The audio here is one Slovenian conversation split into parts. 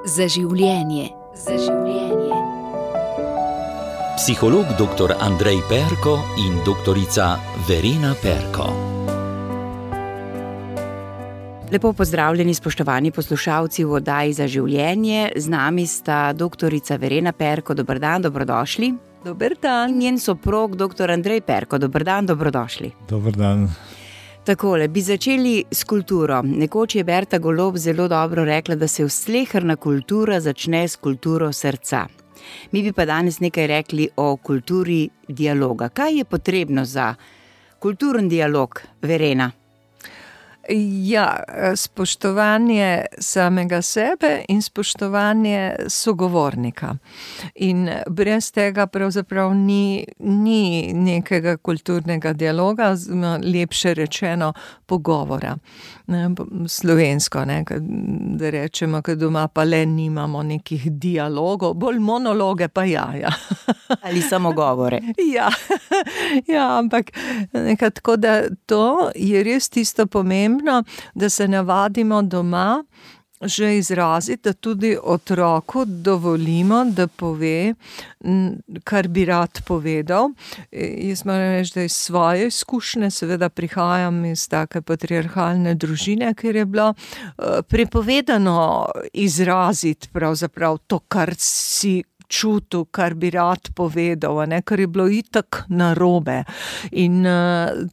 Za življenje. Za življenje. Psiholog dr. Andrej Perko in doktorica Verena Perko. Lepo pozdravljeni, spoštovani poslušalci v oddaji Za življenje. Z nami sta doktorica Verena Perko. Dober dan, dobrodošli. Dober dan. In njen soprog, dr. Andrej Perko. Dober dan, dobrodošli. Dober dan. Takole, bi začeli s kulturo. Nekoč je Berta Golob zelo dobro rekla, da se sleherna kultura začne s kulturo srca. Mi bi pa danes nekaj rekli o kulturi dialoga. Kaj je potrebno za kulturen dialog, Verena? Ja, spoštovanje samega sebe in spoštovanje sogovornika. In brez tega pravzaprav ni nekega kulturnega dialoga, lepše rečeno pogovora. Slovensko, da rečemo, da doma pa le nimamo nekih dialogov, bolj monologe pa ja. Ali samo govore. Ja, ampak tako da to je res tisto pomembno, da se navadimo doma že izraziti, da tudi otroku dovolimo, da pove, kar bi rad povedal. Jaz moram reči, da iz svoje izkušnje, seveda prihajam iz take patriarhalne družine, kjer je bilo prepovedano izraziti pravzaprav to, kar si čutil, kar bi rad povedal, kar je bilo itak narobe. In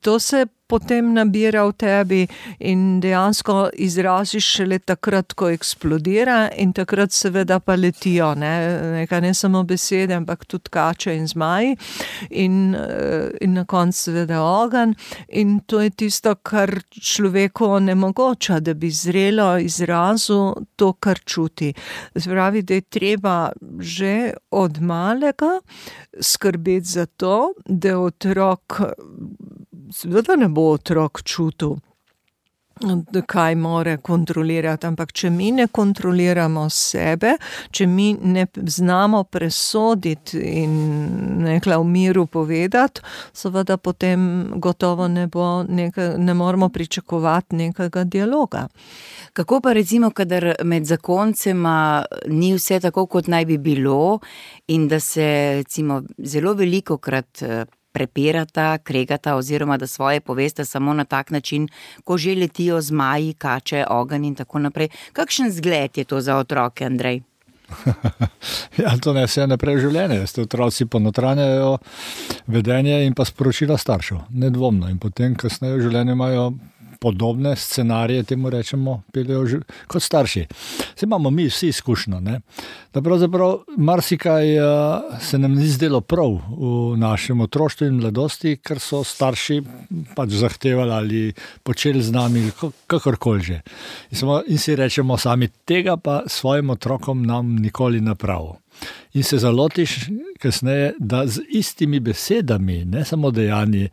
to se potem nabira v tebi in dejansko izraziš šele takrat, ko eksplodira, in takrat seveda pa letijo, ne samo besede, ampak tudi kače in zmaji in na koncu seveda ogenj. In to je tisto, kar človeku onemogoča, da bi zrelo izrazil to, kar čuti. Pravi, da je treba že od malega skrbeti za to, da otrok, seveda ne bo otrok čutil, kaj more kontrolirati, ampak če mi ne kontroliramo sebe, če mi ne znamo presoditi in v miru povedati, seveda potem gotovo ne moramo pričakovati nekega dialoga. Kako pa recimo, kadar med zakoncema ni vse tako, kot naj bi bilo, in da se recimo zelo velikokrat prepirata, kregata oziroma da svoje povesta samo na tak način, ko že letijo zmaji, kače, ogenj in tako naprej. Kakšen zgled je to za otroke, Andrej? Ja, to ne vse naprej življenje. Otroci ponotranjajo vedenje in pa sporočila staršev, nedvomno. In potem kasneje v življenju imajo podobne scenarije, temu rečemo, peljejo kot starši. Zdaj imamo mi vsi izkušnjo, da pravzaprav marsikaj se nam ni zdelo prav v našem otroštvu in mladosti, ker so starši pač zahtevali ali počeli z nami, kakorkoli že. In si rečemo sami, tega pa svojim otrokom nam nikoli napravil. In se zalotiš kasneje, da z istimi besedami, ne samo dejanji,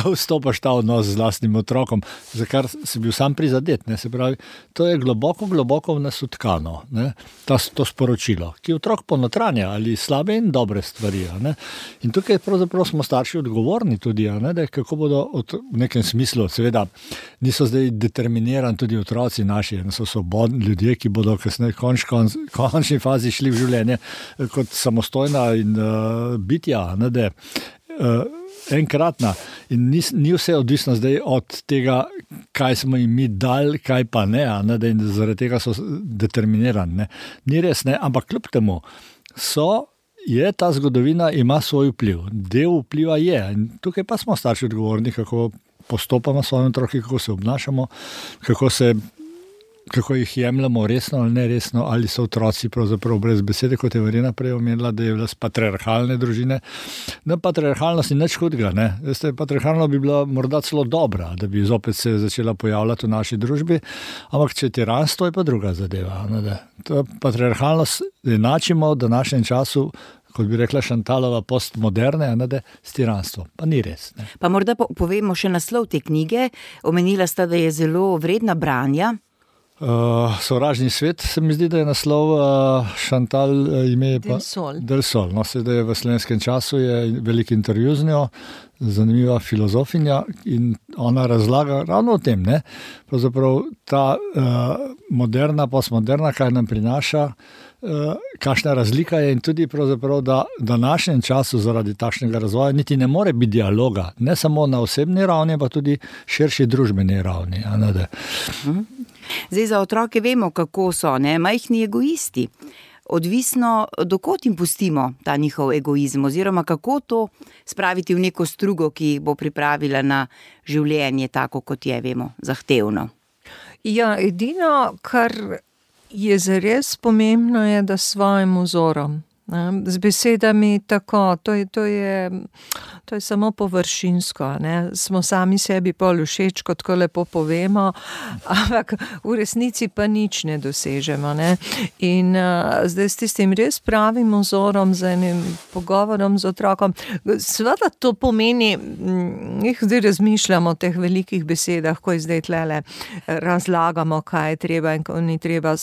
vstopaš ta odnos z lastnim otrokom, za kar si bil sam prizadet. Se pravi, to je globoko v nas utkano, to sporočilo, ki otrok ponotranja ali slabe in dobre stvari. In tukaj pravzaprav smo starši odgovorni tudi, da kako bodo v nekem smislu, seveda niso zdaj determinirani tudi otroci naši, so svobodni ljudje, ki bodo kasneje v končni fazi šli v življenje kot samostojna in bitja, enkratna. In ni vse odvisno zdaj od tega, kaj smo jim mi dali, kaj pa ne, in zaradi tega so determinirani. Ni res, ampak kljub temu je ta zgodovina, ima svoj vpliv. Del vpliva je. In tukaj pa smo starši odgovorni, kako postopamo s svojimi otroki, kako se obnašamo, kako jih jemljamo resno ali neresno, ali so otroci pravzaprav brez besede, kot je Verena prej omenila, da je bila z patriarhalne družine. Patriarhalnost ni nič hudega. Patriarhalno bi bila morda celo dobra, da bi zopet se začela pojavljati v naši družbi, ampak če je tiranstvo, je pa druga zadeva. Patriarhalnost enačimo v današnjem času, kot bi rekla Šantalova, postmoderne, s tiranstvom. Pa ni res. Pa morda povemo še naslov te knjige. Omenila sta, da je zelo vredna branja. Sovražni svet, se mi zdi, da je naslov, Chantal ime je pa Del Sol. No, sedaj v Slovenskem času je velik intervju z njo, zanimiva filozofinja in ona razlaga ravno o tem, ne? Pravzaprav ta moderna, postmoderna, kaj nam prinaša, kakšna razlika je in tudi pravzaprav, da v današnjem času zaradi takšnega razvoja niti ne more biti dialoga, ne samo na osebni ravni, pa tudi širši družbeni ravni. Zdaj, za otroke vemo, kako so, ne, majhni egoisti. Odvisno, dokot jim pustimo ta njihov egoizem, oziroma kako to spraviti v neko strugo, ki jih bo pripravila na življenje, tako kot je, vemo, zahtevno. Ja, edino, kar je zares pomembno, je, da s svojim vzorom, z besedami tako, to je samo površinsko, ne? Smo sami sebi pol všeč, kot ko lepo povemo, ampak v resnici pa nič ne dosežemo, ne? In zdaj s tistim res pravim vzorom, z enim pogovorom z otrokom, seveda to pomeni, zdaj razmišljamo o teh velikih besedah, ko zdaj tlele razlagamo, kaj je treba in kaj ni treba,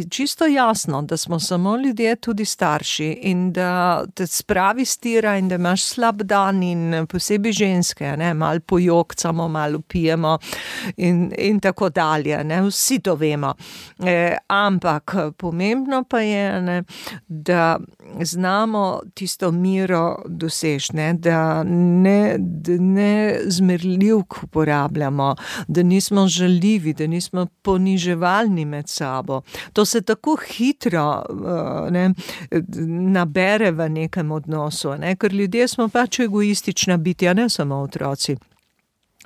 čisto jasno, da smo samo ljudje, tudi starši, in da te spravi stira in da imaš slab dan in posebej ženske, ne, malo pojokcamo, malo pijemo in tako dalje, ne, vsi to vemo. Ampak pomembno pa je, ne, da znamo tisto miro doseči, ne, da ne zmerljivk uporabljamo, da nismo žaljivi, da nismo poniževalni med sabo. To se tako hitro nabere v nekem odnosu, ne? Ker ljudje smo pač egoistična bitja, ne samo otroci.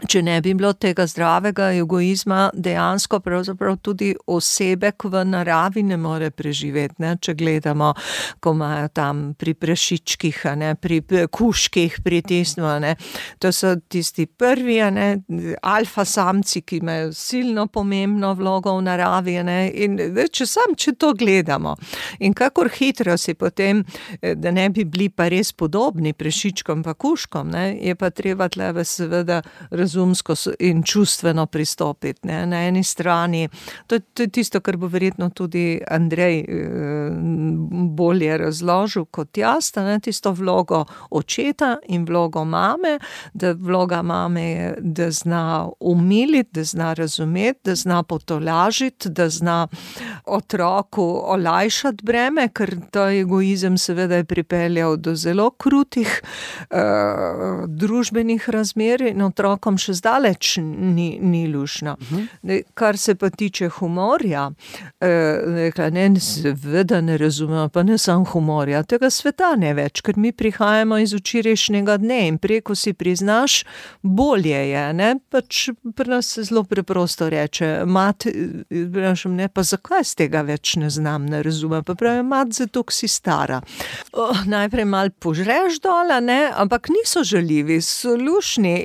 Če ne bi bilo tega zdravega egoizma, dejansko pravzaprav tudi osebek v naravi ne more preživeti, ne? Če gledamo, ko imajo tam pri prašičkih, ne? Pri kužkih, pri tistem, ne? To so tisti prvi, ne? Alfa samci, ki imajo silno pomembno vlogo v naravi, ne? In če to gledamo in kakor hitro si potem, da ne bi bili pa res podobni prašičkom pa kužkom, ne? Je pa treba tleve seveda razumsko in čustveno pristopiti, ne. Na eni strani, to je tisto, kar bo verjetno tudi Andrej bolje razložil kot jaz, ne, tisto vlogo očeta in vlogo mame, da vloga mame je, da zna umiliti, da zna razumeti, da zna potolažiti, da zna otroku olajšati breme, ker ta egoizem seveda je pripeljal do zelo krutih družbenih razmer in otrokom še zdaleč ni lušno. Kar se pa tiče humorja, seveda ne razumemo, pa ne samo humorja, tega sveta ne več, ker mi prihajamo iz včerajšnjega dne in preko si priznaš, bolje je, ne, pač pri nas se zelo preprosto reče, ne, pa zakaj z tega več ne znam, ne razumem, pa pravi, zato si stara. Najprej malo požreš dola, ne, ampak niso žaljivi, so lušni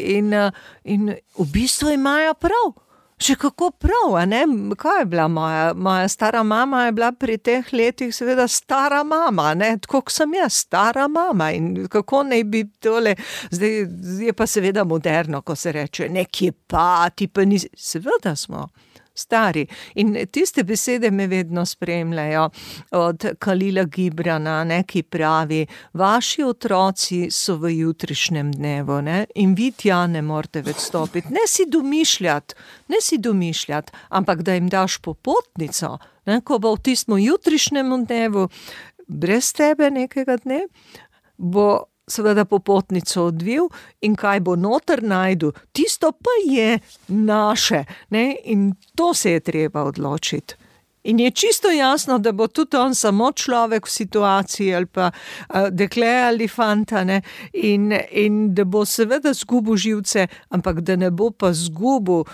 in v bistvu imajo prav. Še kako prav, a ne? Kaj je bila moja stara mama je bila pri teh letih seveda stara mama, ne? Tako kot sem jaz, stara mama in kako naj bi tole, zdaj je pa seveda moderno, ko se reče, nekje pa, ti pa nisi, seveda smo stari. In tiste besede me vedno spremljajo od Khalila Gibrana, ne, ki pravi, vaši otroci so v jutrišnjem dnevu, ne, in vi tja ne morete več stopiti. Ne si domišljati, ampak da jim daš popotnico, ne, ko bo v tistem jutrišnjem dnevu brez tebe nekega dne, bo seveda popotnico odvil in kaj bo noter najdu, tisto pa je naše, ne, in to se je treba odločiti. In je čisto jasno, da bo tudi on samo človek v situaciji ali pa dekle ali fanta, ne, in da bo seveda zgubil živce, ampak da ne bo pa zgubil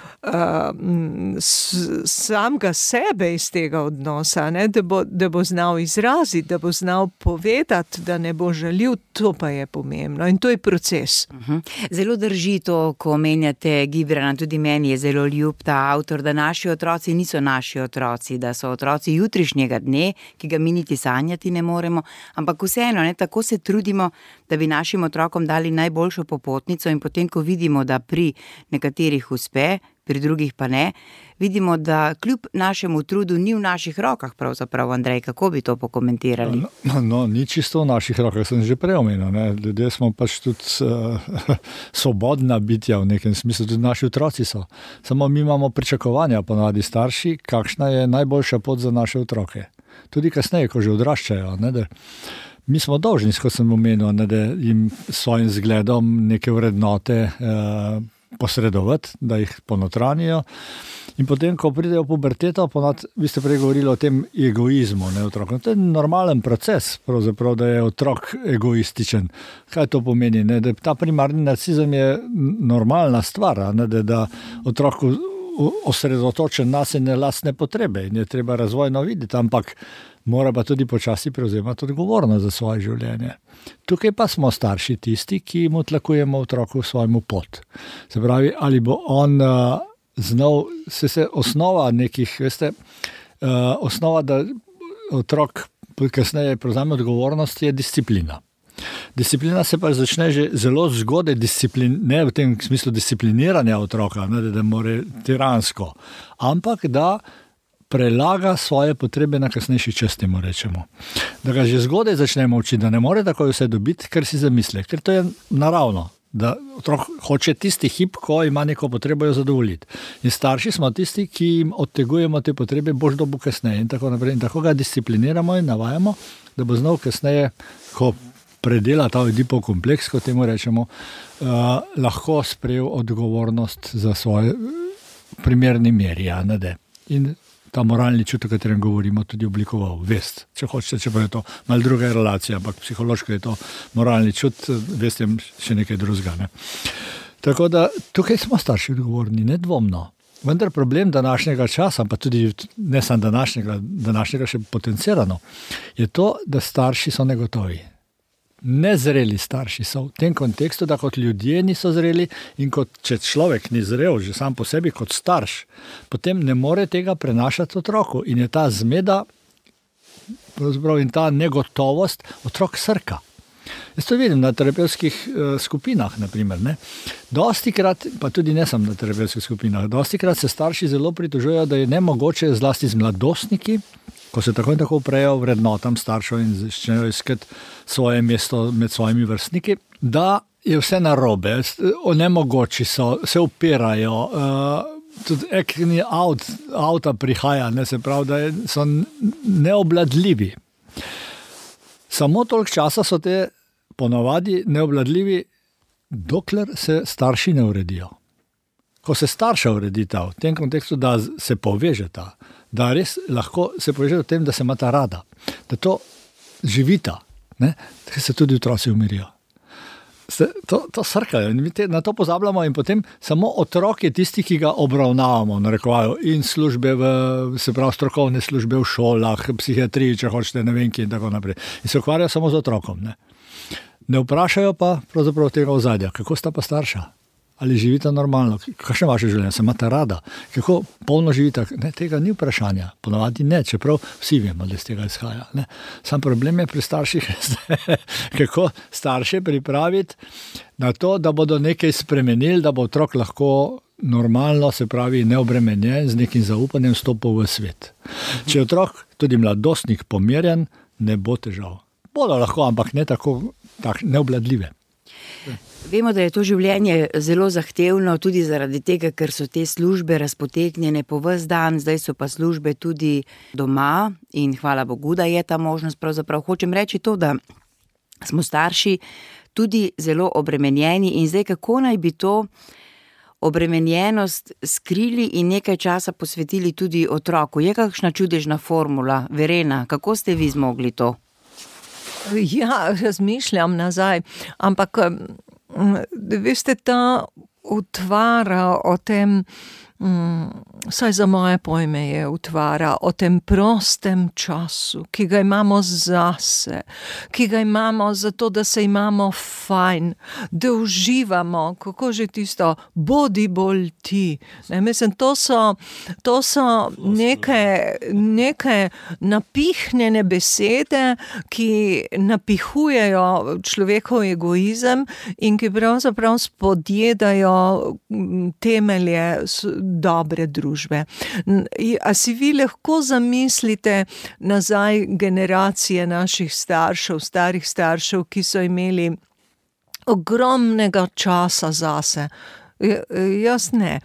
samega sebe iz tega odnosa, ne, da bo znal izraziti, da bo znal povedati, da ne bo žaljiv, to pa je pomembno in to je proces. Zelo drži to, ko omenjate Gibrana, tudi meni je zelo ljub ta avtor, da naši otroci niso naši otroci, da so otroci jutrišnjega dne, ki ga mi niti sanjati ne moremo, ampak vseeno, ne, tako se trudimo, da bi našim otrokom dali najboljšo popotnico in potem, ko vidimo, da pri nekaterih uspe, pri drugih pa ne. Vidimo, da kljub našemu trudu ni v naših rokah pravzaprav, Andrej, kako bi to pokomentirali? No, ni čisto v naših rokah, sem že prej omenil, ne. Ljudje smo pač tudi svobodna bitja v nekem smislu, tudi naši otroci so. Samo mi imamo pričakovanja ponavadi starši, kakšna je najboljša pot za naše otroke. Tudi kasneje, ko že odraščajo, ne, da mi smo dolžni, kot sem omenil, ne, da jim svojim zgledom neke vrednote posredovati, da jih ponotranijo. In potem, ko pridejo v puberteto, vi ste prej govorili o tem egoizmu, ne, otrokom. To je normalen proces, pravzaprav, da je otrok egoističen. Kaj to pomeni? Ne? Da ta primarni narcizem je normalna stvar, ne? Da otrok osredotočen na sebe lastne potrebe in je treba razvojno videti, ampak mora pa tudi počasi prevzemati odgovornost za svoje življenje. Tukaj pa smo starši tisti, ki mu tlakujemo otroku svojemu pot. Se pravi, ali bo on znal, se osnova nekih, osnova, da otrok kasneje prevzame odgovornost, je disciplina. Disciplina se pa začne že zelo zgodaj, ne v tem smislu discipliniranja otroka, ne, da more tiransko, ampak da prelaga svoje potrebe na kasnejši čas, temu rečemo. Da ga že zgodaj začnemo učiti, da ne more takoj vse dobiti, ker si zamisli, ker to je naravno. Da otrok hoče tisti hip, ko ima neko potrebo jo zadovoljiti. In starši smo tisti, ki jim odtegujemo te potrebe, boš dobil kasneje in tako naprej. In tako ga discipliniramo in navajamo, da bo znal kasneje, ko predela ta Oedipov kompleks, kot temu rečemo, lahko sprejel odgovornost za svoje primerni meri. In ta moralni čut, o katerem govorimo, tudi oblikoval vest. Če hočete, če pa je to malo druga relacija, ampak psihološko je to moralni čut, vest je še nekaj drugega. Ne? Tako da tukaj smo starši odgovorni, nedvomno. Vendar problem današnjega časa, pa tudi ne samo današnjega še potencirano, je to, da starši so negotovi. Nezreli starši so v tem kontekstu, da kot ljudje niso zreli in kot če človek ni zrel, že sam po sebi kot starš, potem ne more tega prenašati otroku in je ta zmeda in ta negotovost otrok srka. Jaz to vidim na terapevtskih skupinah, naprimer. Ne? Dostikrat, pa tudi ne sem na terapevtskih skupinah, dostikrat se starši zelo pritožujejo, da je nemogoče zlasti z mladostniki, ko se tako in tako uprejo vrednotam staršev in začnejo iskati svoje mesto med svojimi vrstniki, da je vse narobe, nemogoči so, se upirajo, tudi ekni avta prihaja, ne, se pravi, da so neobladljivi. Samo toliko časa so te ponavadi neobladljivi, dokler se starši ne uredijo. Ko se starša uredita v tem kontekstu, da se povežeta, da res lahko se povežeta v tem, da se imata rada, da to živita, ne? Da se tudi otroci umirijo. To srkajo in mi na to pozabljamo in potem samo otrok je tisti, ki ga obravnavamo, narekovajo in službe, se pravi strokovne službe v šolah, psihiatriji, če hočete, ne vem kje in tako naprej. In se ukvarjajo samo z otrokom. Ne vprašajo pa pravzaprav tega ozadja, kako sta pa starša. Ali živita normalno, kakšno vaše življenje, se imate rada, kako polno živita, ne, tega ni vprašanja, ponavadi ne, čeprav vsi vemo, da iz tega izhaja. Ne. Sam problem je pri starših, kako starše pripraviti na to, da bodo nekaj spremenili, da bo otrok lahko normalno, se pravi neobremenjen, z nekim zaupanjem stopil v svet. Če je otrok, tudi mladostnik, pomirjen, ne bo težav. Bodo lahko, ampak ne tako neobladljive. Vemo, da je to življenje zelo zahtevno, tudi zaradi tega, ker so te službe razpotegnjene po ves dan, zdaj so pa službe tudi doma in hvala Bogu, da je ta možnost pravzaprav. Hočem reči to, da smo starši tudi zelo obremenjeni in zdaj kako naj bi to obremenjenost skrili in nekaj časa posvetili tudi otroku. Je kakšna čudežna formula? Verena, kako ste vi zmogli to? Ja, razmišljam nazaj, ampak veste, ta utvara o tem, saj za moje pojme je utvara o tem prostem času, ki ga imamo zase, ki ga imamo zato, da se imamo fajn, da uživamo, kako že tisto, bodi bolj ti. Ne, mislim, to so neke napihnjene besede, ki napihujejo človekov egoizem in ki pravzaprav spodjedajo temelje dobre družbe. A si vi lahko zamislite nazaj generacije naših staršev, starih staršev, ki so imeli ogromnega časa zase? Jaz ne.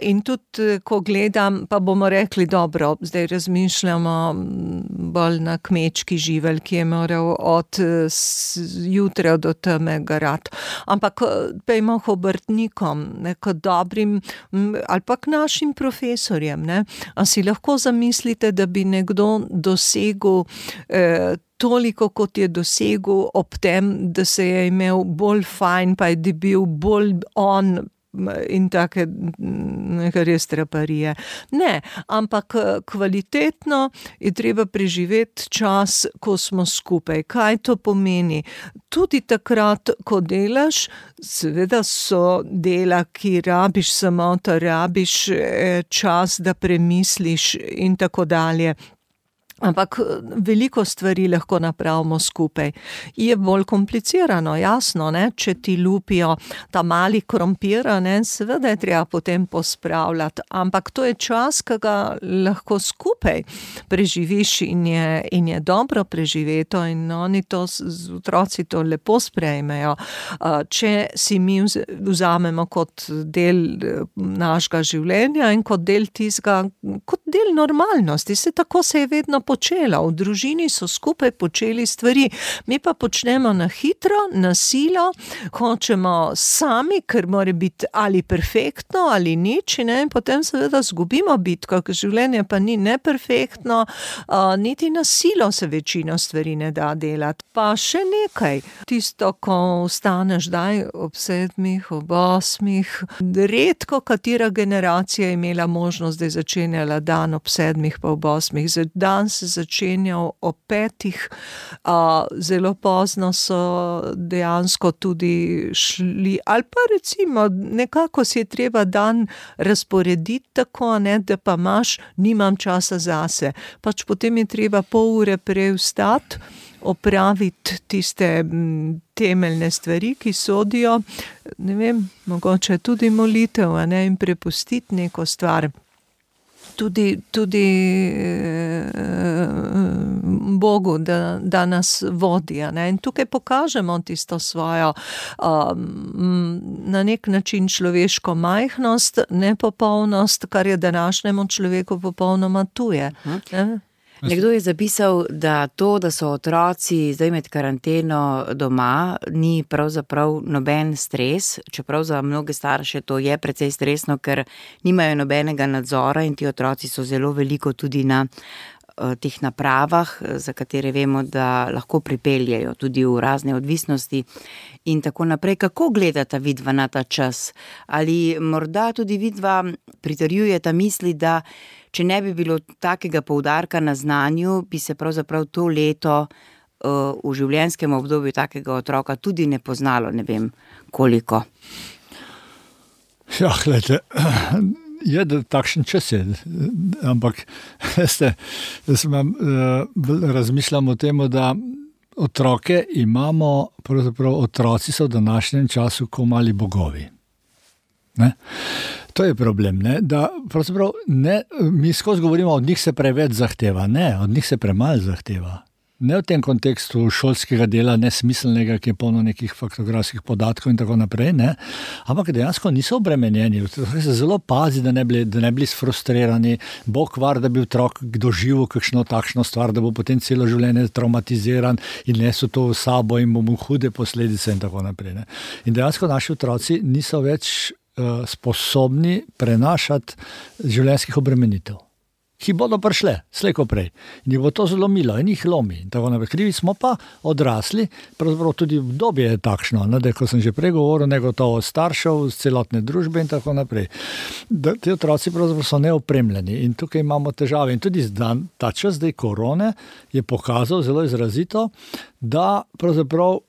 In tudi, ko gledam, pa bomo rekli, dobro, zdaj razmišljamo bolj na kmečki živelj, ki je moral od jutra do teme garati. Ampak pejmo k obrtnikom, k dobrim, ali pa k našim profesorjem, ne? A si lahko zamislite, da bi nekdo dosegel toliko, kot je dosegel ob tem, da se je imel bolj fajn, pa je bil bolj on in take neke res traparije. Ne, ampak kvalitetno je treba preživeti čas, ko smo skupaj. Kaj to pomeni? Tudi takrat, ko delaš, seveda so dela, ki rabiš samota, rabiš čas, da premisliš in tako dalje. Ampak veliko stvari lahko napravimo skupaj. Je bolj komplicirano, jasno, ne? Če ti lupijo ta mali krompir, ne? Seveda je treba potem pospravljati, ampak to je čas, ki ga lahko skupaj preživiš in je dobro preživeto in oni to, otroci to lepo sprejmejo. Če si mi vzamemo kot del našega življenja in kot del tistega, kot del normalnosti, tako se je vedno počela. V družini so skupaj počeli stvari. Mi pa počnemo na hitro, na silo, hočemo sami, ker mora biti ali perfektno, ali nič, ne? In potem seveda zgubimo bitko, ker življenje pa ni neperfektno, niti na silo se večino stvari ne da delati. Pa še nekaj, tisto, ko vstaneš ob 7, ob 8, redko katera generacija je imela možnost, da je začenjala dan ob 7 pa ob 8. Dan se začenjal ob 5, zelo pozno so dejansko tudi šli, ali pa recimo nekako si je treba dan razporediti tako, ne, da pa nimam časa zase. Pač potem je treba pol ure prej vstati, opraviti tiste temeljne stvari, ki sodijo, ne vem, mogoče tudi molitev, ne, in prepustiti neko stvar. Tudi Bogu, da nas vodi. Ne? In tukaj pokažemo tisto svojo na nek način človeško majhnost, nepopolnost, kar je današnjemu človeku popolnoma tuje. Ne? Nekdo je zapisal, da to, da so otroci zdaj med karanteno doma, ni pravzaprav noben stres, čeprav za mnoge starše to je precej stresno, ker nimajo nobenega nadzora in ti otroci so zelo veliko tudi na teh napravah, za katere vemo, da lahko pripeljejo tudi v razne odvisnosti in tako naprej. Kako gledata vidva na ta čas? Ali morda tudi vidva pritrjujeta misli, da če ne bi bilo takega poudarka na znanju, bi se pravzaprav to leto v življenjskem obdobju takega otroka tudi ne poznalo, ne vem koliko? Ja, gledajte, je da takšen čas je, ampak veste, razmišljam o tem, da otroke imamo, pravzaprav otroci so v današnjem času kot mali bogovi. Ne? To je problem, ne? Da pravzaprav ne, mi skozi govorimo, od njih se preveč zahteva, ne, od njih se premalo zahteva. Ne v tem kontekstu šolskega dela, nesmiselnega, ki je polno nekih faktografskih podatkov in tako naprej, ne? Ampak dejansko niso obremenjeni, se zelo pazi, da ne bili sfrustrirani, Bog var, da bi otrok doživel kakšno takšno stvar, da bo potem celo življenje traumatiziran in nesel to v sabo in bo mu hude posledice in tako naprej. Ne? In dejansko naši otroci niso več sposobni prenašati življenjskih obremenitev, ki bodo prišle, slej ko prej. In jih bo to zelo milo in jih lomi. In tako naprej. Krivi smo pa odrasli, pravzaprav tudi obdobje je takšno, ne, da, ko sem že prej govoril, negotovo staršev, celotne družbe in tako naprej. Da ti otroci pravzaprav so neopremljeni in tukaj imamo težave. In tudi ta čas zdaj korone je pokazal zelo izrazito, da pravzaprav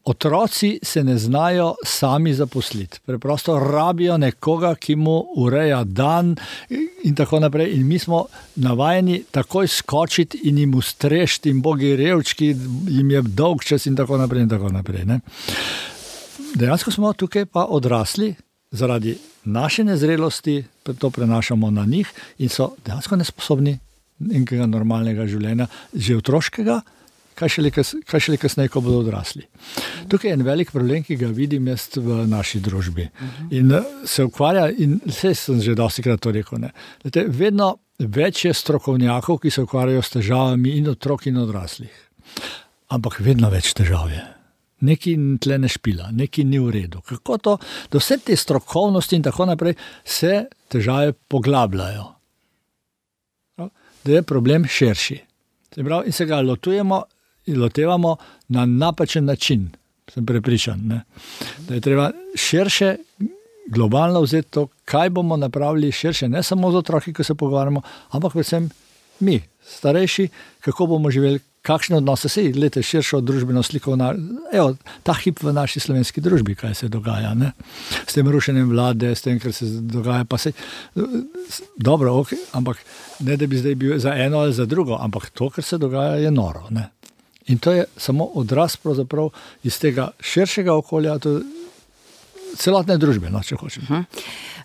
otroci se ne znajo sami zaposliti. Preprosto rabijo nekoga, ki mu ureja dan in tako naprej. In mi smo navajeni takoj skočiti in jim ustrešiti in bogi revčki, jim je dolg čas in tako naprej in tako naprej. Ne? Dejansko smo tukaj pa odrasli zaradi naše nezrelosti to prenašamo na njih in so dejansko nesposobni nekega normalnega življenja, že otroškega, kaj šele kasneje, ko bodo odrasli. Tukaj je en velik problem, ki ga vidim jaz v naši družbi. In se ukvarja, in vse sem že dostikrat to rekel, ne. Vedno več je strokovnjakov, ki se ukvarjajo s težavami in otrok in odraslih. Ampak vedno več težav je. Nekaj tle ne špila, nekaj ni v redu. Kako to, da vse te strokovnosti in tako naprej se težave poglabljajo. Da je problem širši. In se ga lotevamo na napačen način, sem prepričan. Ne? Da je treba širše, globalno vzeti to, kaj bomo napravili širše, ne samo z otroki, ko se pogovarjamo, ampak predvsem mi, starejši, kako bomo živeli, kakšne odnose se gledate širšo družbeno sliko, ta hip v naši slovenski družbi, kaj se dogaja, ne? S tem rušenjem vlade, s tem, kar se dogaja, pa se dobro, ok, ampak ne, da bi zdaj bil za eno ali za drugo, ampak to, kar se dogaja, je noro, ne? In to je samo odraz pravzaprav iz tega širšega okolja, to celotne družbe, no, če hočem.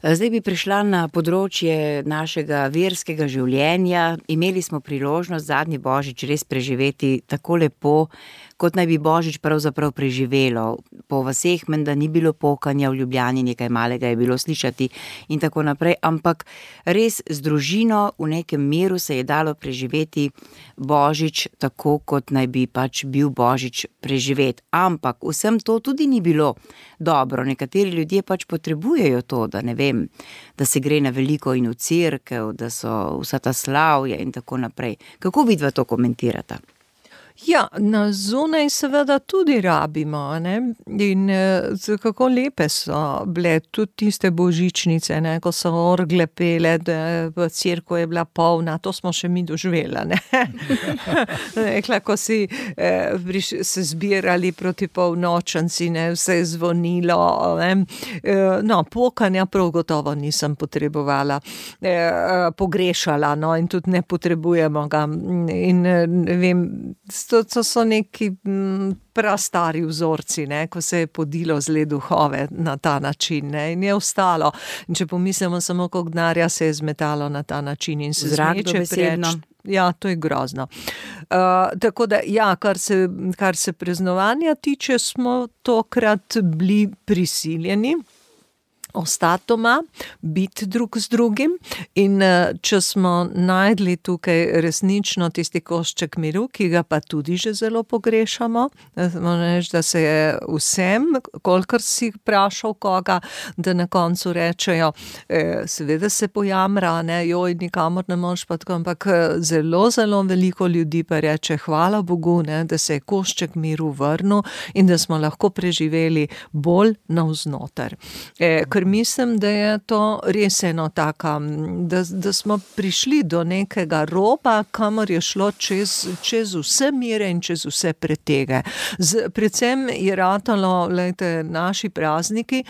Zdaj bi prišla na področje našega verskega življenja. Imeli smo priložnost zadnji Božič res preživeti tako lepo, kot naj bi Božič pravzaprav preživelo. Po vaseh menda ni bilo pokanja, v Ljubljani nekaj malega je bilo slišati in tako naprej, ampak res z družino v nekem miru se je dalo preživeti Božič tako, kot naj bi pač bil Božič preživet. Ampak vsem to tudi ni bilo dobro. Nekateri ljudje pač potrebujejo to, da ne vem, da se gre na veliko in v cerkev, da so vsa ta slavja in tako naprej. Kako vidva to komentirata? Ja, na zunaj seveda tudi rabimo, ne? In kako lepe so bile tudi tiste božičnice, ne? Ko so orgle pele, da v cerkvu je bila polna, to smo še mi doživela, ne? Rekla, ko si se zbirali proti polnočnici, ne? Vse je zvonilo, ne? No, pokanja prav gotovo nisem potrebovala, pogrešala, no, in tudi ne potrebujemo ga. In ne vem, to so neki prastari vzorci, ne, ko se je podilo zle duhove na ta način, ne, in je ostalo. In če pomislimo samo, koliko denarja se je zmetalo na ta način in se zmeče preč. Ja, to je grozno. Tako da, ja, kar se praznovanja tiče, smo tokrat bili prisiljeni ostati doma, biti drug z drugim in če smo najdli tukaj resnično tisti košček miru, ki ga pa tudi že zelo pogrešamo, da se je vsem, kolikor si vprašal koga, da na koncu rečejo, seveda se pojamra, ne, joj, nikamor ne moš pa tako, ampak zelo, zelo veliko ljudi pa reče, hvala Bogu, ne, da se je košček miru vrnil in da smo lahko preživeli bolj navznoter. Ker mislim, da je to res eno taka, da smo prišli do nekega roba, kamor je šlo čez vse mire in čez vse pretege. Predvsem je ratalo, glejte, naši prazniki,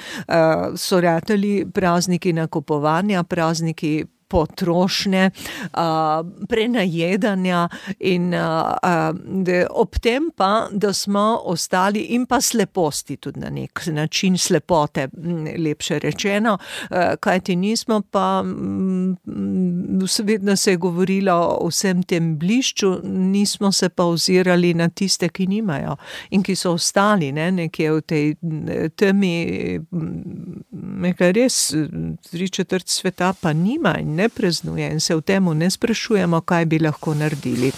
so ratali prazniki nakupovanja, prazniki potrošnje, prenajedanja in ob tem pa, da smo ostali in pa sleposti tudi na nek način, slepote, lepše rečeno, kajti nismo pa, vedno se je govorilo o vsem tem blišču, nismo se pa ozirali na tiste, ki nimajo in ki so ostali, ne, nekje v tej temi, nekaj res 3/4 sveta pa nima in ne praznuje in se v temu ne sprašujemo, kaj bi lahko naredili.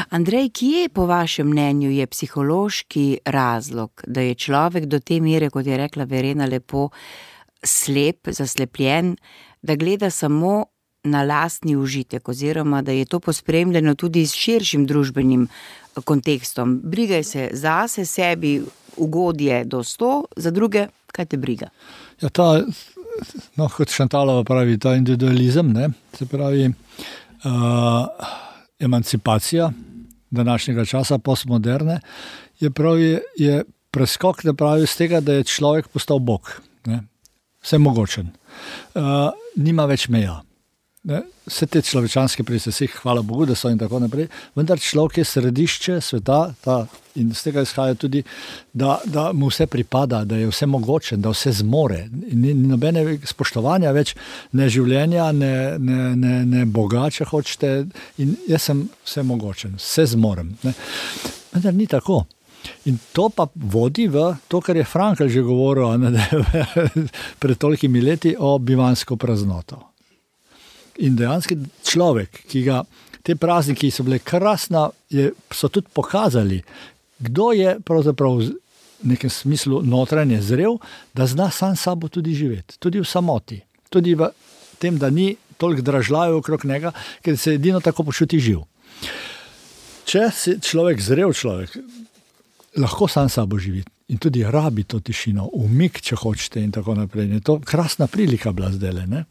Andrej, kje po vašem mnenju je psihološki razlog, da je človek do te mere, kot je rekla Verena lepo, slep, zaslepljen, da gleda samo na lastni užitek oziroma da je to pospremljeno tudi s širšim družbenim kontekstom? Brigaj se zase, sebi ugodje do 100, za druge, kaj te briga? Ja, kot Šantalova pravi, ta individualizem, ne, se pravi emancipacija današnjega časa, postmoderne, je preskok, da pravi z tega, da je človek postal Bog, ne, vsemogočen. Nima več meja. Ne, vse te človečanske price, hvala Bogu, da so in tako naprej, vendar človek je središče sveta in z tega izhaja tudi, da mu vse pripada, da je vse mogočen, da vse zmore. Ni nobene spoštovanja več, ne življenja, ne Boga, če hočete, in jaz sem vse mogočen, vse zmorem. Ne. Vendar ni tako. In to pa vodi v to, kar je Frankl že govoril pred tolikimi leti o bivansko praznoto. In dejansko človek, ki ga te prazniki so bile krasna, so tudi pokazali, kdo je pravzaprav v nekem smislu notranje zrel, da zna sam sabo tudi živeti, tudi v samoti, tudi v tem, da ni toliko dražljajo okrog njega, ker se edino tako počuti živ. Če si zrel človek, lahko sam sabo živi in tudi rabi to tišino, umik, če hočete in tako naprej. Je to krasna prilika bila zdajle, ne?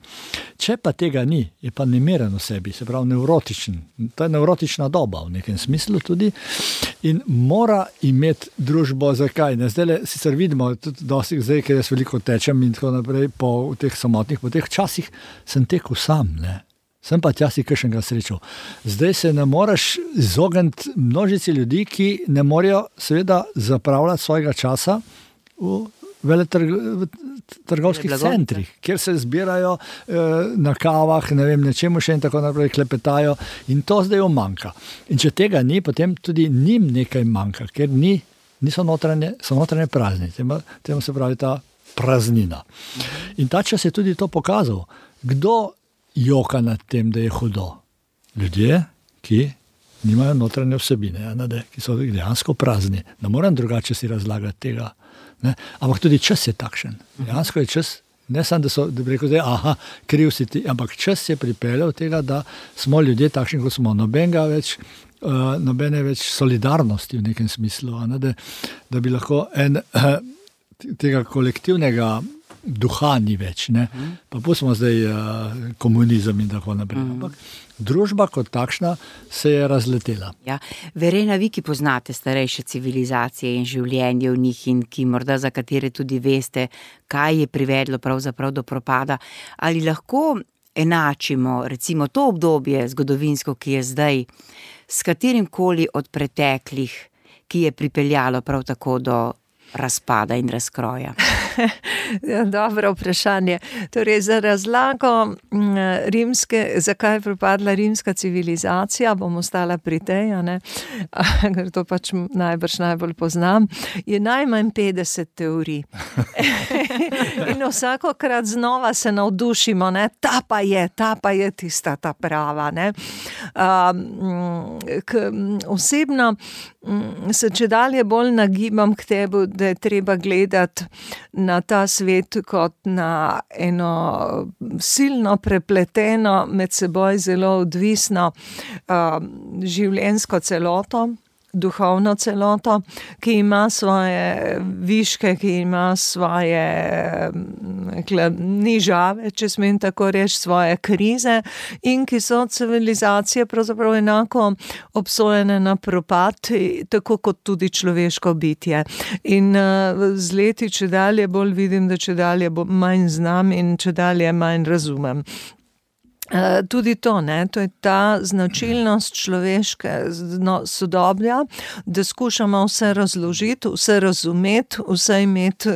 Če pa tega ni, je pa nemeren v sebi, se pravi nevrotičen. To je nevrotična doba v nekem smislu tudi in mora imeti družbo. Zakaj? Zdajle sicer vidimo, tudi dosti zdaj, ker jaz veliko tečem in tako naprej po teh samotnih poteh, včasih sem tekel sam, ne? Sem pa tja si kakšnega srečal. Zdaj se ne moreš izogniti množici ljudi, ki ne morejo seveda zapravljati svojega časa v trgovskih centrih, kjer se zbirajo na kavah, ne vem, nečemu še in tako naprej klepetajo in to zdaj manjka. In če tega ni, potem tudi njim nekaj manjka, ker so notranje prazni. Temu se pravi ta praznina. In ta čas je tudi to pokazal. Kdo joka nad tem, da je hudo? Ljudje, ki nimajo notranje vsebine, ki so dejansko prazni. Ne moram drugače si razlagati tega. Ne? Ampak tudi čas je takšen. Dejansko je čas, ne samo, da bi rekel, kriv si ti, ampak čas je pripeljal tega, da smo ljudje takšni, kot smo. Nobene več solidarnosti v nekem smislu, da bi lahko tega kolektivnega duha ni več, ne? Pa pustimo zdaj komunizem in tako naprej. Ampak družba kot takšna se je razletela. Ja. Verena, vi, ki poznate starejše civilizacije in življenje v njih in ki morda za katere tudi veste, kaj je privedlo pravzaprav do propada, ali lahko enačimo recimo to obdobje zgodovinsko, ki je zdaj, s katerimkoli od preteklih, ki je pripeljalo prav tako do razpada in razkroja? Dobro vprašanje. Torej, za razlago zakaj je propadla rimska civilizacija, bom ostala pri tej, ker to pač najbolj poznam, je najmanj 50 teorij. In vsakokrat znova se navdušimo, ta pa je tista ta prava. Osebno se čedalje bolj nagibam k tebi, da je treba gledati na ta svet kot na eno silno prepleteno, med seboj zelo odvisno življenjsko celoto, duhovno celoto, ki ima svoje viške, ki ima svoje nižave, če smem tako reči, svoje krize in ki so civilizacije pravzaprav enako obsojene na propad, tako kot tudi človeško bitje. In z leti čedalje bolj vidim, da čedalje manj znam in čedalje manj razumem. Tudi to je ta značilnost človeške sodobja, da skušamo vse razložiti, vse razumeti, vse imeti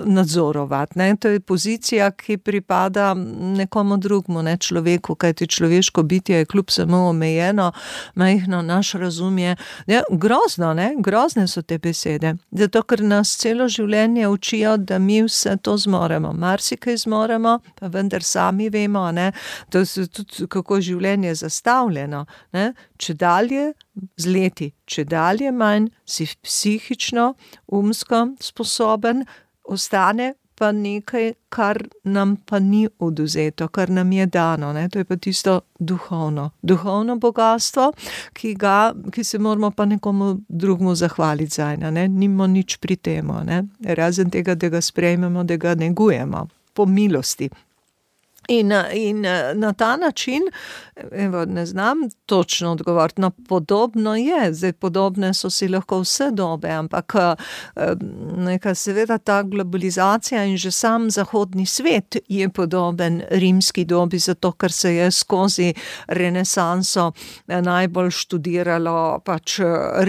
nadzorovati. To je pozicija, ki pripada nekomu drugmu, človeku, kajti človeško bitje je kljub samo omejeno, majhno, naš razum je grozno, grozne so te besede, zato ker nas celo življenje učijo, da mi vse to zmoremo, marsikaj zmoremo, pa vendar sami vemo, to je tudi kako je življenje zastavljeno, čedalje z leti, čedalje manj si psihično, umsko sposoben, ostane pa nekaj, kar nam pa ni odvzeto, kar nam je dano, to je pa tisto duhovno bogatstvo, ki se moramo pa nekomu drugmu zahvaliti zanj, nimamo nič pri temu, razen tega, da ga sprejmemo, da ga negujemo, po milosti. In na ta način, evo, ne znam točno odgovoriti, no, podobno je, zdaj podobne so si lahko vse dobe, ampak neka seveda ta globalizacija in že sam zahodni svet je podoben rimski dobi, zato ker se je skozi renesanso najbolj študiralo pač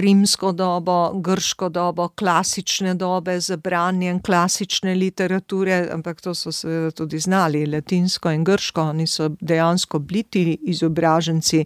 rimsko dobo, grško dobo, klasične dobe z branjem klasične literature, ampak to so seveda tudi znali, latinsko in grško, oni so dejansko bili ti izobraženci,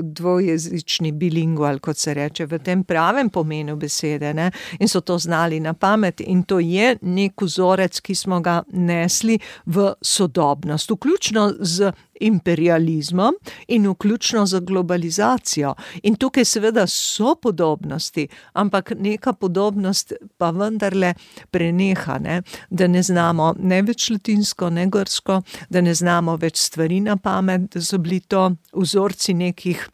dvojezični bilingual, kot se reče, v tem pravem pomenu besede, ne? In so to znali na pamet in to je nek vzorec, ki smo ga nesli v sodobnost, vključno z imperializmom in vključno z globalizacijo. In tukaj seveda so podobnosti, ampak neka podobnost pa vendarle preneha, ne? Da ne znamo ne več latinsko, ne grško, da ne znamo več stvari na pamet, da so bili to vzorci nekih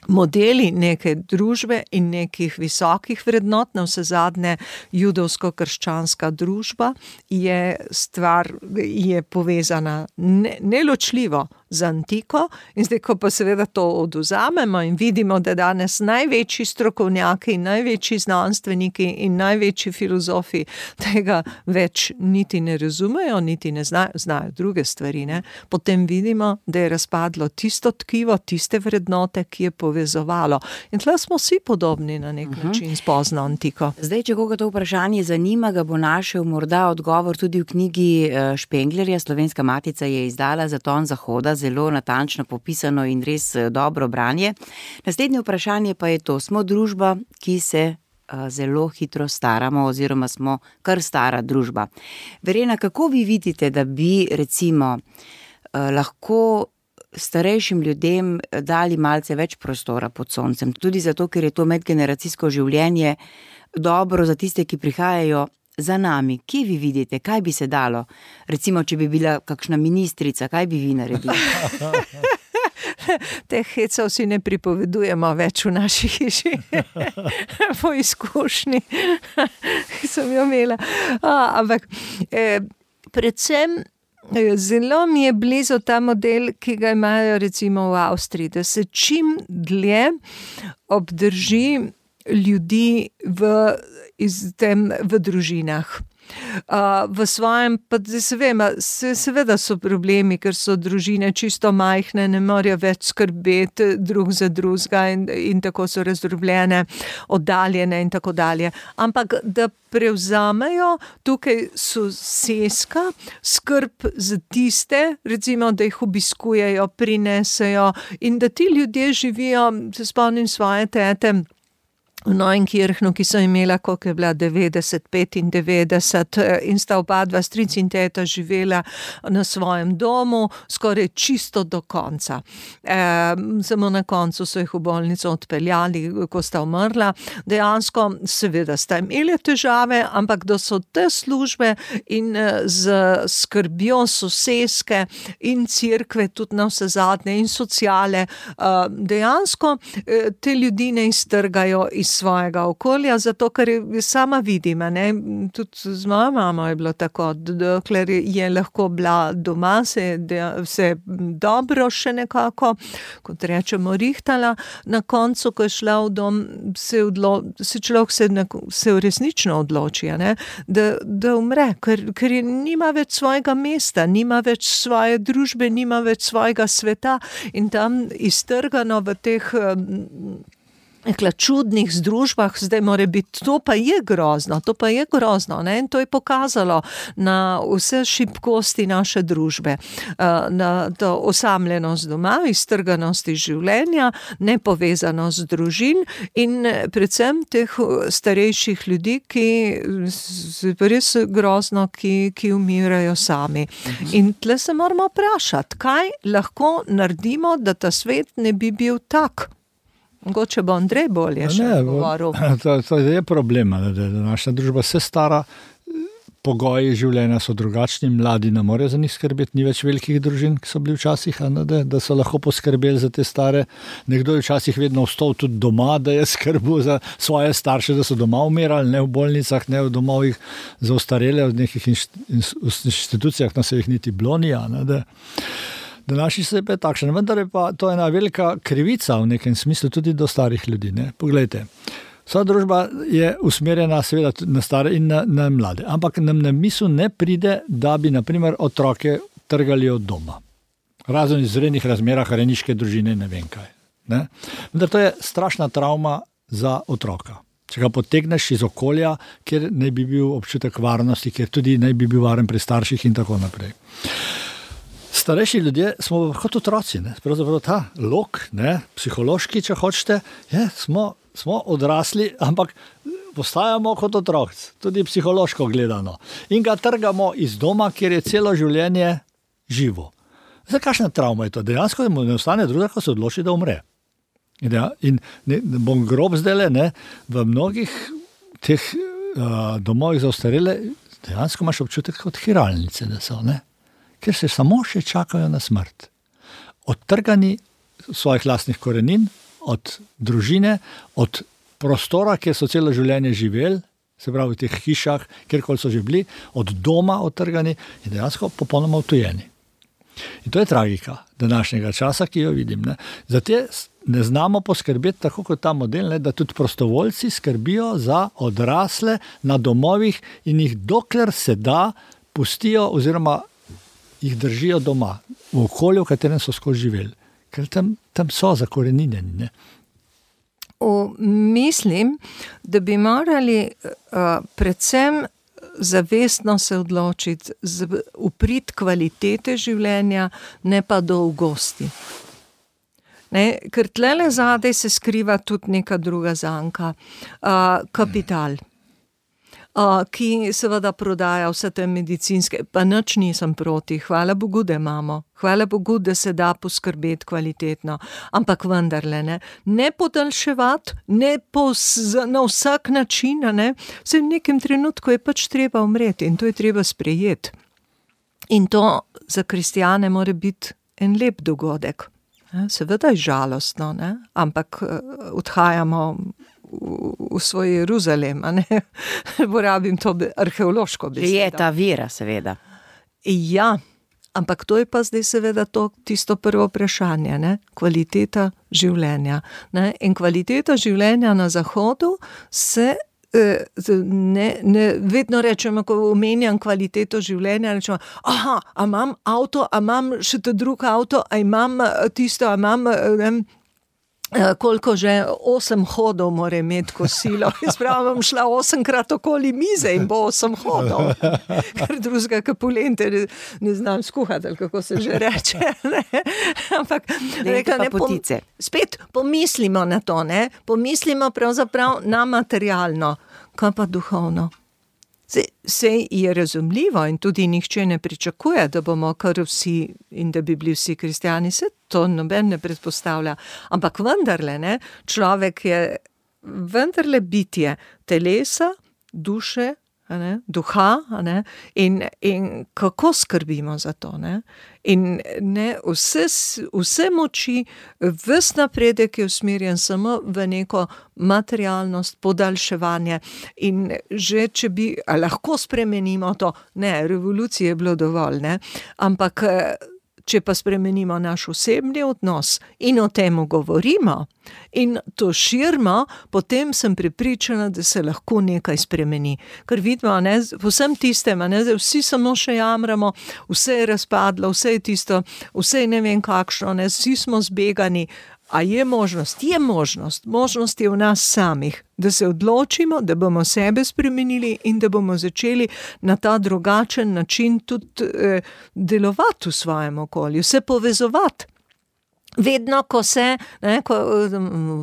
modeli neke družbe in nekih visokih vrednot, na vse zadnje judovsko-krščanska družba je povezana neločljivo z antiko in zdaj, ko pa seveda to odvzamemo in vidimo, da danes največji strokovnjaki, največji znanstveniki in največji filozofi tega več niti ne razumejo, niti ne znajo druge stvari, ne? Potem vidimo, da je razpadlo tisto tkivo, tiste vrednote, ki je povezovalo. In tle smo vsi podobni na nek način s pozno antiko. Zdaj, če koga to vprašanje zanima, ga bo našel morda odgovor tudi v knjigi Špenglerja. Slovenska matica je izdala Zaton zahoda, zelo natančno popisano in res dobro branje. Naslednje vprašanje pa je to: smo družba, ki se zelo hitro staramo oziroma smo kar stara družba. Verena, kako vi vidite, da bi recimo lahko starejšim ljudem dali malce več prostora pod soncem, tudi zato, ker je to medgeneracijsko življenje dobro za tiste, ki prihajajo za nami? Kje vi vidite, kaj bi se dalo? Recimo, če bi bila kakšna ministrica, kaj bi vi naredili? Teh hecov si ne pripovedujemo več v naši hiši. Po izkušnji, ki sem jo imela. Ampak predvsem zelo mi je blizu ta model, ki ga imajo recimo v Avstriji, da se čim dlje obdrži ljudi v družinah. V svojem, pa se vem, seveda so problemi, ker so družine čisto majhne, ne morejo več skrbeti drug za drugega in tako so razdrobljene, oddaljene in tako dalje. Ampak da prevzamejo tukaj soseska skrb za tiste, recimo, da jih obiskujejo, prinesejo in da ti ljudje živijo, se spomnim svoje tete, v Neuenkirchnu, ki so imela, koliko je bila, 90, 95 in sta oba dva, stric in teta, živela na svojem domu skoraj čisto do konca. Samo na koncu so jih v bolnico odpeljali, ko sta umrla. Dejansko seveda sta imeli težave, ampak da so te službe in z skrbjo soseske in cerkve, tudi na vse zadnje in sociale, dejansko te ljudi ne iztrgajo iz svojega okolja, zato ker sama vidim, ne, tudi z mojo mamo je bilo tako, dokler je lahko bila doma, se dobro še nekako, kot rečemo, rihtala, na koncu, ko je šla v dom, se človek se resnično odloči, ne, da umre, ker nima več svojega mesta, nima več svoje družbe, nima več svojega sveta in tam iztrgano v teh čudnih združbah, zdaj mora biti, to pa je grozno, ne? In to je pokazalo na vse šibkosti naše družbe, na to osamljenost doma, iztrganost iz življenja, nepovezanost družin in predvsem teh starejših ljudi, ki res grozno, ki umirajo sami. In tle se moramo vprašati, kaj lahko naredimo, da ta svet ne bi bil tak. Mogoče bo Andrej bolje še govoril. To je problema, da naša družba se stara. pogoji življenja so drugačni, mladi ne morejo za njih skrbeti, ni več velikih družin, ki so bili včasih, da so lahko poskrbeli za te stare. Nekdo je včasih vedno ostal tudi doma, da je skrbel za svoje starše, da so doma umirali, ne v bolnicah, ne v domovih za ostarele, v nekih inštitucijah, se jih niti blonija. Današnji svet je takšen, vendar je pa to ena velika krivica v nekem smislu tudi do starih ljudi. Ne? Poglejte, vsa družba je usmerjena seveda na stare in na mlade, ampak nam na misel ne pride, da bi naprimer otroke trgali od doma. Razen v izrednih razmerah rejniške družine, ne vem kaj. Ne? Vendar to je strašna travma za otroka. Če ga potegneš iz okolja, kjer naj bi bil občutek varnosti, kjer tudi naj bi bil varen pri starših in tako naprej. Starejši ljudje smo kot otroci, ne? Pravzaprav ta lok, ne? Psihološki, če hočete, smo odrasli, ampak postajamo kot otroci, tudi psihološko gledano. In ga trgamo iz doma, kjer je celo življenje živo. Zdaj, kakšna travma je to? Dejansko mu ne ostane druga, ko se odloči, da umre. In bom grob zdajle, ne, v mnogih teh domovih za ostarele dejansko imaš občutek kot hiralnice, da so, ne? Ker se samo še čakajo na smrt. Odtrgani svojih lastnih korenin, od družine, od prostora, kjer so celo življenje živeli, se pravi v teh hišah, kjerkoli so že bili, od doma odtrgani in dejansko popolnoma odtujeni. In to je tragika današnjega časa, ki jo vidim. Ne. Zato ne znamo poskrbeti tako kot ta model, ne, da tudi prostovoljci skrbijo za odrasle na domovih in jih dokler se da pustijo oziroma jih držijo doma, v okolju, v katerem so skozi živeli. Ker tam so zakoreninjeni. Ne? Mislim, da bi morali predvsem zavestno se odločiti uprit kvalitete življenja, ne pa dolgosti. Ne? Ker tlele zadaj se skriva tudi neka druga zanka. Kapital. Ki seveda prodaja vse te medicinske, pa nič nisem proti, hvala Bogu, da imamo, hvala Bogu, da se da poskrbeti kvalitetno, ampak vendarle ne podaljševati, na vsak način, se v nekem trenutku je pač treba umreti in to je treba sprejeti. In to za kristjane mora biti en lep dogodek. Seveda je žalostno, ampak odhajamo v svoj Jeruzalem, porabim to arheološko besedo. Je ta vera, seveda. Ja, ampak to je pa zdaj seveda tisto prvo vprašanje, kvaliteta življenja. In kvaliteta življenja na Zahodu se vedno rečemo, ko omenjam kvaliteto življenja, rečemo, a imam avto, a imam še ta drug avto, a imam tisto, a imam koliko že 8 hodov mora imeti kosilo. Jaz pravim, šla 8-krat okoli mize in bo 8 hodov. Ker drugega kapulente ne znam skuhati, ali kako se že reče. Ampak spet pomislimo na to, pomislimo pravzaprav na materialno, kaj pa duhovno. Sej je razumljivo in tudi nihče ne pričakuje, da bomo kar vsi in da bi bili vsi kristjani, se to noben ne predpostavlja. Ampak vendarle, človek je vendarle bitje telesa, duše, duha, in kako skrbimo za to. In vse moči, ves napredek je usmerjen samo v neko materialnost, podaljševanje. In že če bi lahko spremenimo to, revolucije je bilo dovolj, ampak če pa spremenimo naš osebni odnos in o tem govorimo in to širimo, potem sem prepričana, da se lahko nekaj spremeni. Ker vidimo, vsem tistem, vsi samo še jamramo, vse je razpadlo, vse je tisto, vse je ne vem kakšno, vsi smo zbegani. A je možnost? Je možnost. Možnost je v nas samih, da se odločimo, da bomo sebe spremenili in da bomo začeli na ta drugačen način tudi delovati v svojem okolju, se povezovati. Vedno, ko se, ko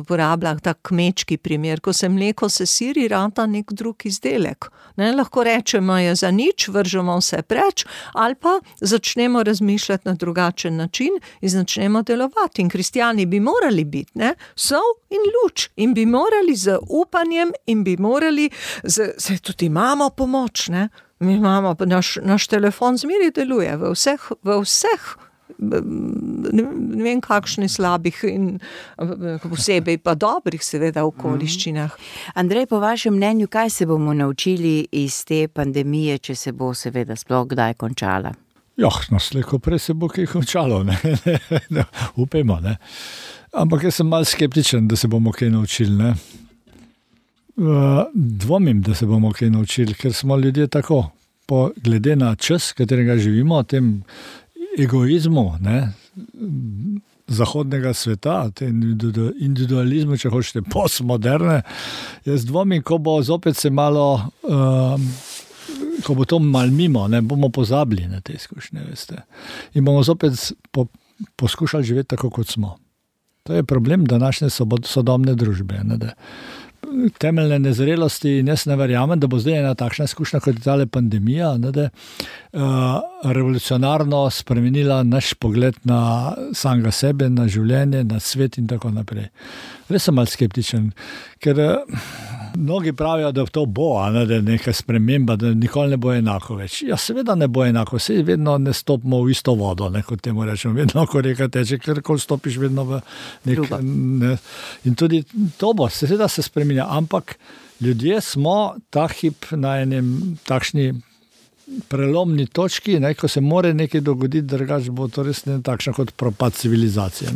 uporabljam ta kmečki primer, ko se mleko sesiri, rata nek drug izdelek. Lahko rečemo, je za nič, vržemo vse preč, ali pa začnemo razmišljati na drugačen način in začnemo delovati. In kristjani bi morali biti, sol in luč, in bi morali z upanjem in bi morali, se tudi imamo pomoč, Mi imamo, naš telefon zmeraj deluje v vseh ne vem kakšnih slabih in posebej pa dobrih seveda okoliščinah. Andrej, po vašem mnenju, kaj se bomo naučili iz te pandemije, če se bo seveda sploh kdaj končala? Slejko prej se bo kaj končalo, ne? Upajmo, ne? Ampak jaz sem malo skeptičen, da se bomo kaj naučili, ne? Dvomim, da se bomo kaj naučili, ker smo ljudje tako, glede na čas, katerega živimo, tem egoizmu, ne, zahodnega sveta, tem individualizmu, če hočete, postmoderne, jaz dvomim, ko bo zopet se malo, ko bo to malo mimo, ne, bomo pozabili na te izkušnje, veste. In bomo zopet poskušali živeti tako, kot smo. To je problem današnje sodobne družbe, ne, da temeljne nezrelosti in jaz ne verjamem, da bo zdaj ena takšna izkušnja kot je tale pandemija, ne, da revolucionarno spremenila naš pogled na samega sebe, na življenje, na svet in tako naprej. Res sem malo skeptičen, ker mnogi pravijo, da to bo, ne, da je neka sprememba, da nikoli ne bo enako več. Ja, seveda ne bo enako, saj vedno ne stopimo v isto vodo, ne, kot temu rečemo, vedno, ko reka teče, kjerkoli stopiš, vedno v ne. In tudi to bo, seveda se spremenja, ampak ljudje smo ta hip na enem takšni prelomni točki, ne, ko se more nekaj dogoditi, drugače bo to res ne takšna kot propad civilizacije.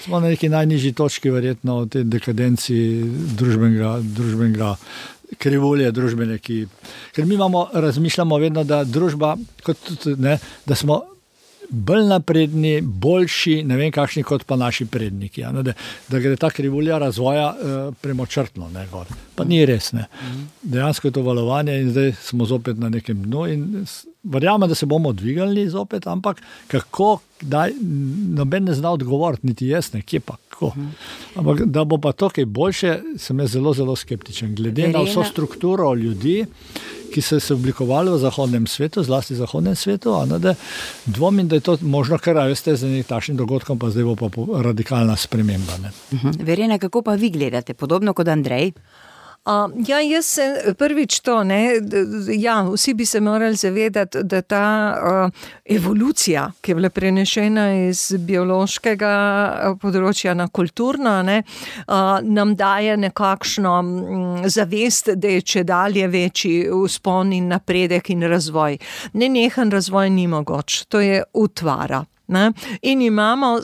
Smo na neki najnižji točki verjetno v tej dekadenci družbenega krivulje družbene, ker mi razmišljamo vedno, da družba, da smo bolj napredni, boljši, ne vem kakšni kot pa naši predniki, da gre ta krivulja razvoja premočrtno, ne, gor. Pa ni res, ne. Dejansko je to valovanje in zdaj smo zopet na nekem dnu in verjamem, da se bomo dvigali zopet, ampak kako, noben ne zna odgovoriti, niti jaz ne, kje pa, kako. Ampak da bo pa to kaj boljše, sem jaz zelo, zelo skeptičen. Glede na vso strukturo ljudi, ki so se oblikovali v zahodnem svetu, zlasti v zahodnem svetu, da dvomim, da je to možno, ker veste, z nekaj takšnim dogodkom, pa zdaj bo pa radikalna sprememba. Ne. Verjena, kako pa vi gledate? Podobno kot Andrej? Jaz se prvič to, ne, vsi bi se morali zavedati, da ta evolucija, ki je bila prenešena iz biološkega področja na kulturno, ne, nam daje nekakšno zavest, da je čedalje večji vzpon in napredek in razvoj. Nenehen razvoj ni mogoč, to je utvara. Ne? In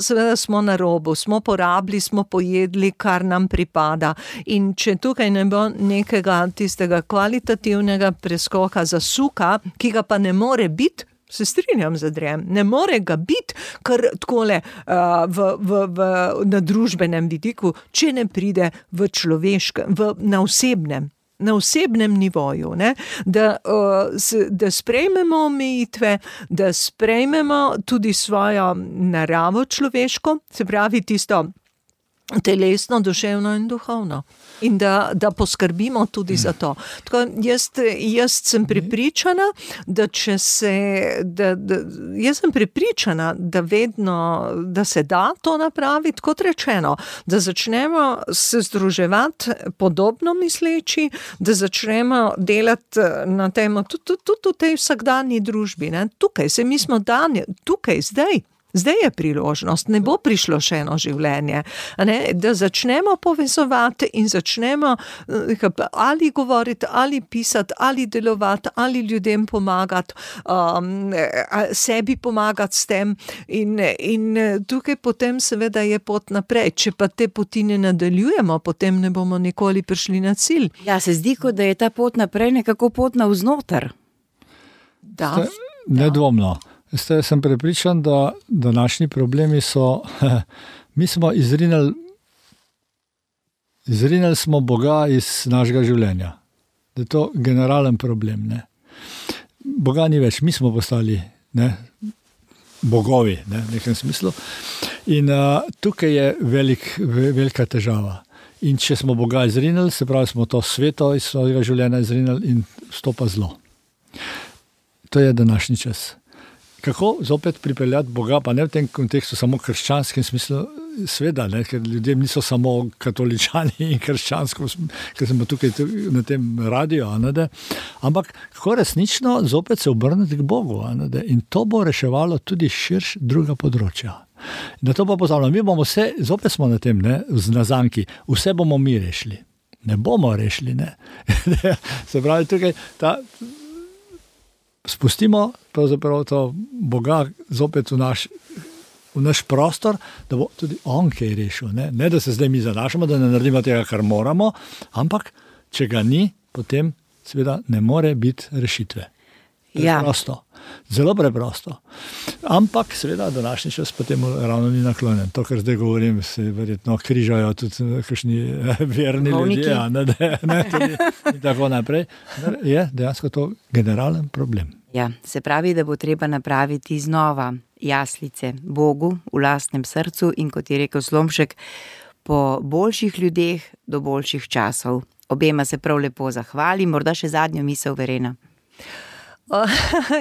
seveda smo na robu, smo porabili, smo pojedli, kar nam pripada. In če tukaj ne bo nekega tistega kvalitativnega preskoka zasuka, ki ga pa ne more biti, se strinjam z Andrejem, ne more ga biti, kar takole na družbenem vidiku, če ne pride v človeškem, na osebnem nivoju, ne? Da sprejmemo omejitve, da sprejmemo tudi svojo naravo človeško, se pravi tisto telesno, duševno in duhovno. In da poskrbimo tudi za to. Tako, jaz sem prepričana, da vedno, da se da to napraviti, kot rečeno, da začnemo se združevati podobno misleči, da začnemo delati na tem, tudi v tej vsakdanji družbi, ne? Tukaj se mi smo tukaj, zdaj je priložnost, ne bo prišlo še eno življenje, ne? Da začnemo povezovati in začnemo ali govoriti, ali pisati, ali delovati, ali ljudem pomagati, sebi pomagati s tem in tukaj potem seveda je pot naprej. Če pa te poti ne nadaljujemo, potem ne bomo nikoli prišli na cilj. Ja, se zdi, kot da je ta pot naprej nekako pot navznoter. Da. Nedvomno. Jaz sem prepričan, da današnji problemi so, mi smo izrinili smo Boga iz našega življenja. Da je to generalen problem, ne. Boga ni več, mi smo postali, ne, bogovi, ne, v nekem smislu. In tukaj je velika težava. In če smo Boga izrinili, se pravi, smo to sveto iz svojega življenja izrinili in vstopa zlo. To je današnji čas. kako zopet pripeljati Boga, pa ne v tem kontekstu samo krščanskem smislu, sveda, ne, ker ljudje niso samo katoličani in krščansko, ker smo tukaj na tem radiju, ampak kako resnično zopet se obrniti k Bogu. In to bo reševalo tudi širš druga področja. Na to pa pozavljamo, mi bomo vse, zopet smo na tem, na zanki, vse bomo mi rešili. Ne bomo rešili, ne. Se pravi, tukaj spustimo pravzaprav to Boga zopet v naš prostor, da bo tudi on kaj rešil. Ne, da se zdaj mi zanašamo, da ne naredimo tega, kar moramo, ampak če ga ni, potem seveda ne more biti rešitve. Preprosto. Zelo preprosto. Ampak seveda današnji čas potem ravno ni naklonjen. To, kar zdaj govorim, se verjetno križajo tudi kakšni verni ljudje, tudi in tako naprej. Je dejansko to generalen problem. Ja, se pravi, da bo treba napraviti znova jaslice Bogu v lastnem srcu in, kot je rekel Slomšek, po boljših ljudeh do boljših časov. Obema se prav lepo zahvali, morda še zadnjo misel, Verena.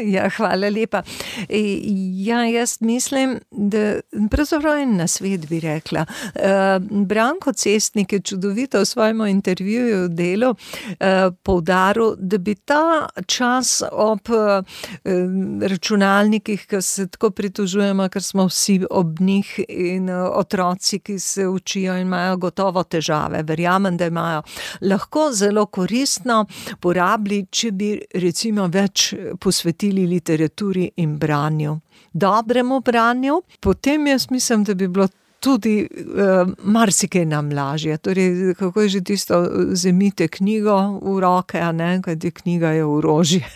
Ja, hvala lepa. Ja, jaz mislim, da pravzaprav en nasvet bi rekla. Branko Cestnik je čudovito v svojem intervjuju v Delu poudaril, da bi ta čas ob računalnikih, ki se tako pritožujemo, ker smo vsi ob njih, in otroci, ki se učijo in imajo gotovo težave, verjamem, da imajo, lahko zelo koristno porabili, če bi recimo več posvetili literaturi in branju, dobremu branju. Potem jaz mislim, da bi bilo tudi marsikaj nam lažje. Torej, kako je že tisto, vzemite knjigo v roke, a ne, kajti knjiga je orožje.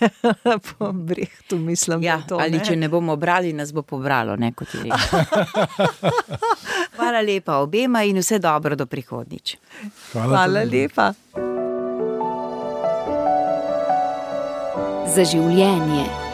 Po Brehtu mislim, ja, to, ali ne? Če ne bomo brali, nas bo pobralo, ne, kot je rekel. Hvala lepa obema in vse dobro do prihodnjič. Hvala lepa. Za življenje.